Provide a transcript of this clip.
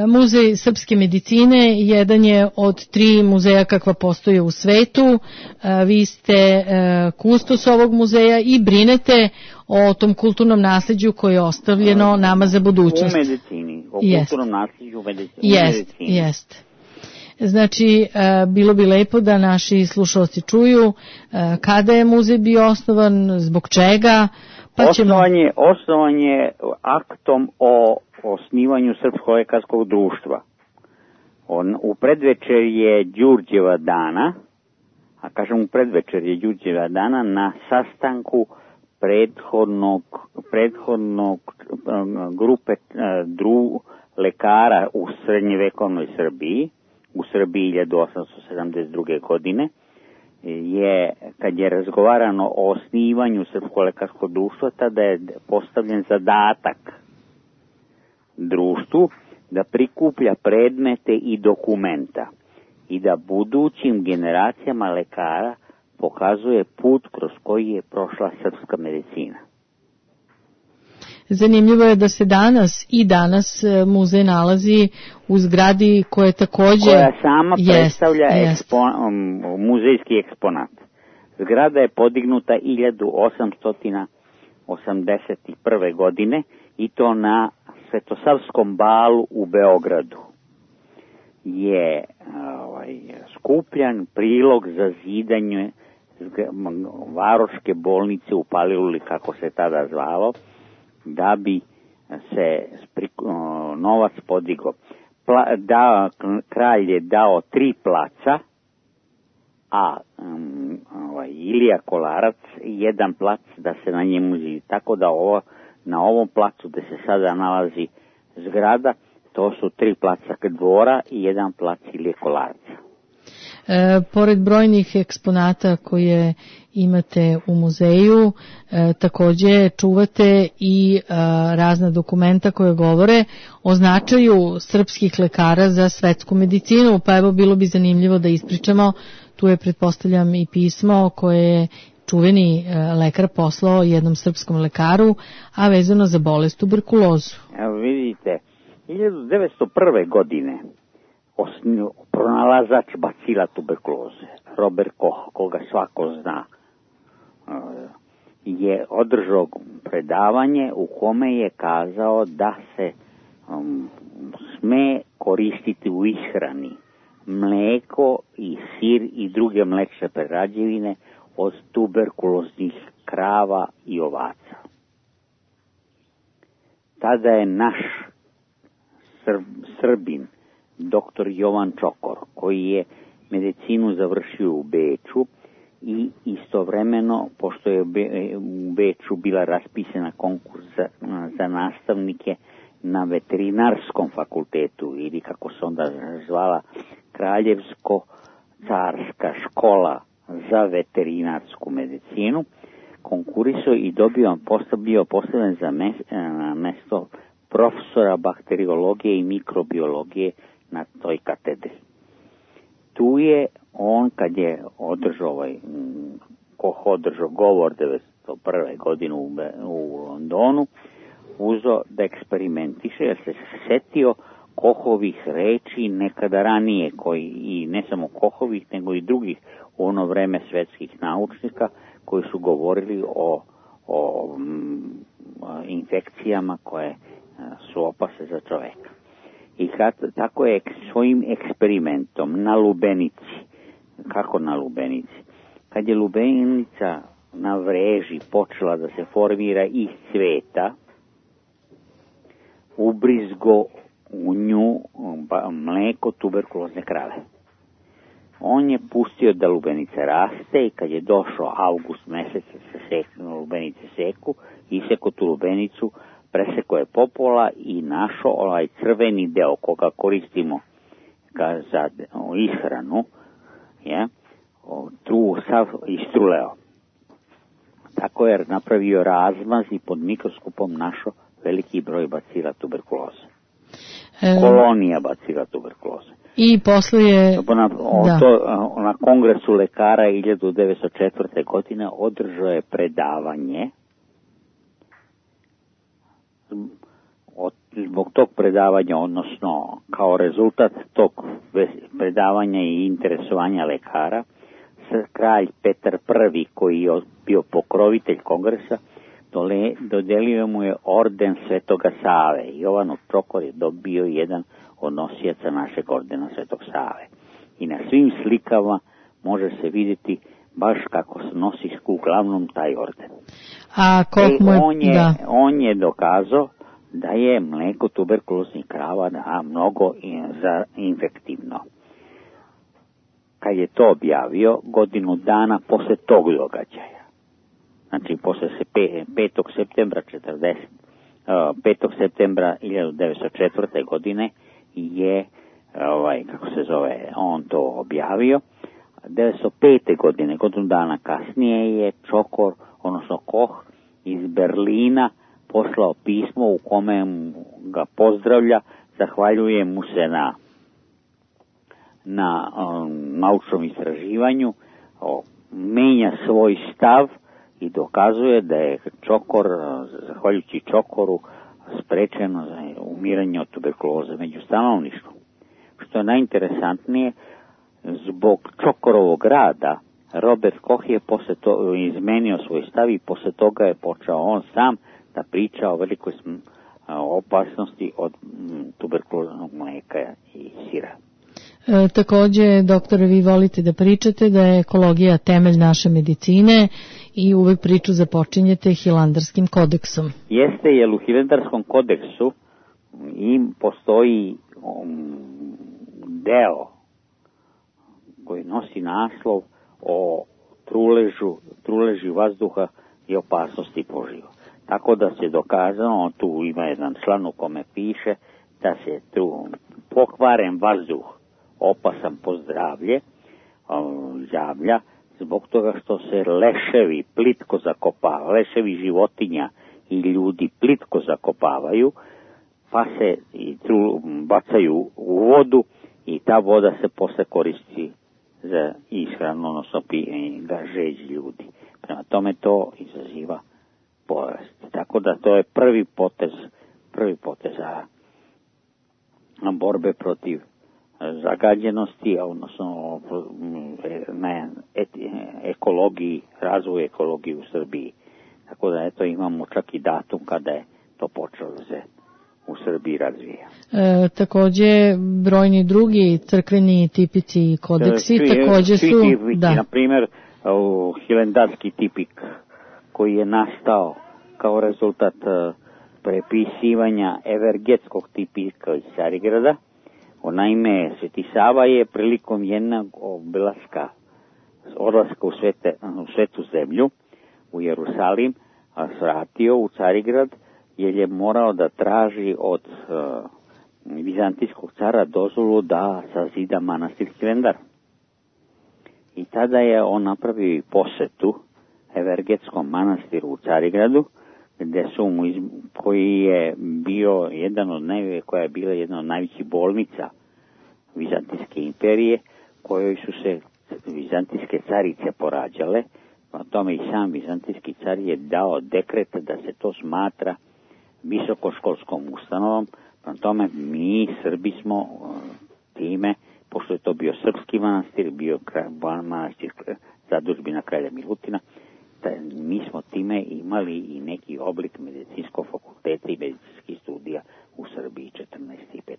Muzej srpske medicine jedan je od 3 muzeja kakva postoje u svetu. Vi ste kustos ovog muzeja i brinete o tom kulturnom nasleđu koje je ostavljeno nama za budućnost. U medicini, o kulturnom nasleđu u medicini. Jeste. Znači, bilo bi lepo da naši slušalci čuju kada je muzej bio osnovan, zbog čega. Osnovan je aktom o osnivanju Srpskog lekarskog društva. U predvečer je Đurđeva dana, a kažem u predvečer je Đurđeva dana na sastanku prethodnog grupe lekara u srednjevekovnoj Srbiji, u Srbiji 1872. godine, kad je razgovarano o osnivanju Srpskog lekarskog društva, tada je postavljen zadatak društvu da prikuplja predmete i dokumenta i da budućim generacijama lekara pokazuje put kroz koji je prošla srpska medicina. Zanimljivo je da se danas muzej nalazi u zgradi koja sama predstavlja muzejski eksponat. Zgrada je podignuta 1881. godine i to na Svetosavskom balu u Beogradu. Je skupljan prilog za zidanje Varoške bolnice u Paliluli, kako se tada zvalo, da bi se novac podigao. Kralj je dao 3 placa, a Ilija Kolarac 1 plac da se na njemu zidi. Tako da na ovom placu gde se sada nalazi zgrada, to su 3 placa dvora i 1 plac Ilije Kolarca. Pored brojnih eksponata koje imate u muzeju, takođe čuvate i razna dokumenta koje govore o značaju srpskih lekara za svetsku medicinu, pa evo bilo bi zanimljivo da ispričamo, tu je pretpostavljam i pismo koje je čuveni lekar poslao jednom srpskom lekaru, a vezano za bolest tuberkulozu. Evo vidite, 1901. godine pronalazač bacila tuberkuloze, Robert Koch, koga svako zna, je održao predavanje u kome je kazao da se sme koristiti u ishrani mleko i sir i druge mlečne prerađevine od tuberkuloznih krava i ovaca. Tada je naš Srbin, doktor Jovan Čokor, koji je medicinu završio u Beču i istovremeno, pošto je u Beču bila raspisana konkurs za nastavnike na veterinarskom fakultetu, ili kako se onda zvala Kraljevsko-carska škola za veterinarsku medicinu, konkurisao i bio postavljen za mesto profesora bakteriologije i mikrobiologije na toj katedri. Tu je on, kad je održao govor 1901. godine u Londonu, uzeo da eksperimentiše, jer se setio Kohovih reči nekada ranije, i ne samo Kohovih, nego i drugih u ono vreme svetskih naučnika koji su govorili o infekcijama koje su opasne za čoveka. I tako je svojim eksperimentom na lubenici, kako na lubenici, kad je lubenica na vreži počela da se formira iz cveta, ubrizgo u nju mleko tuberkulozne krave. On je pustio da lubenice raste i kad je došao avgust mesec, lubenice seku, isekao tu lubenicu, presekao je popola i našao ovaj crveni deo koga koristimo za ishranu, tu sav istruleo. Tako je napravio razmaz i pod mikroskopom našao veliki broj bacila tuberkuloze. Kolonija bacila tuberkuloze. I posle je... Na kongresu lekara 1904. godine održao je predavanje o zbog tog predavanja, odnosno kao rezultat tog predavanja i interesovanja lekara, kralj Petar I, koji je bio pokrovitelj kongresa, dodelio mu je orden Svetoga Save. Jovanov Čokor je dobio jedan od nosijaca našeg ordena Svetog Save. I na svim slikama može se vidjeti baš kako se nosi uglavnom taj orden. A on je dokazao da je mlijeko tuberkuloznih krava mnogo infektivno. Kad je to objavio, godinu dana posle tog događaja, znači posle 5. septembra 1904. godine je on to objavio. 1905. godine, godinu dana kasnije, je Čokor, odnosno Koch iz Berlina poslao pismo u kome ga pozdravlja, zahvaljuje mu se na naučnom istraživanju, menja svoj stav i dokazuje da je Čokor, zahvaljujući Čokoru, sprečeno za umiranje od tuberkuloze među stanovništvom. Što je najinteresantnije, zbog Čokorovog rada Robert Koch je posle toga izmenio svoj stav i posle toga je počeo on sam da priča o velikoj opasnosti od tuberkuloznog mlijeka i sira. Takođe, doktore, vi volite da pričate da je ekologija temelj naše medicine i uvek priču započinjete Hilandarskim kodeksom. Jeste, jer u Hilandarskom kodeksu postoji deo koji nosi naslov o truleži vazduha i opasnosti po život. Tako da se dokazano, tu ima jedan član u kome piše da se pokvaren vazduh opasan po zdravlje javlja zbog toga što se leševi plitko zakopavaju, leševi životinja i ljudi plitko zakopavaju, pa se bacaju u vodu i ta voda se posle koristi za ishranu, odnosno žeđ ljudi. Prema tome to izaziva bolest. Tako da to je prvi potez borbe protiv zagađenosti, odnosno na ekologiji, razvoju ekologije u Srbiji. Tako da eto imamo čak i datum kada je to počelo da se u Srbiji razvija. Takođe, brojni drugi crkveni tipici i kodeksi takođe su... Na primjer, Hilandarski tipik koji je nastao kao rezultat prepisivanja Evergetskog tipika iz Carigrada. Naime, Sveti Sava je prilikom jednog odlaska u Svetu zemlju, u Jerusalim, svratio u Carigrad, jer je morao da traži od vizantijskog cara dozvolu da sazida manastir Hilandar. I tada je on napravio i posetu Evergetskom manastiru u Carigradu, koja je bila jedna od najvećih bolnica Vizantijske imperije, kojoj su se vizantijske carice porađale. Na tome i sam vizantijski car je dao dekret da se to smatra visokoškolskom ustanovom. Na tome mi Srbi smo time, pošto je to bio srpski manastir, bio manastir zadužbina kralja Milutina, mi smo time imali i neki oblik medicinskog fakulteta i medicinskih studija u Srbiji 14. i 15.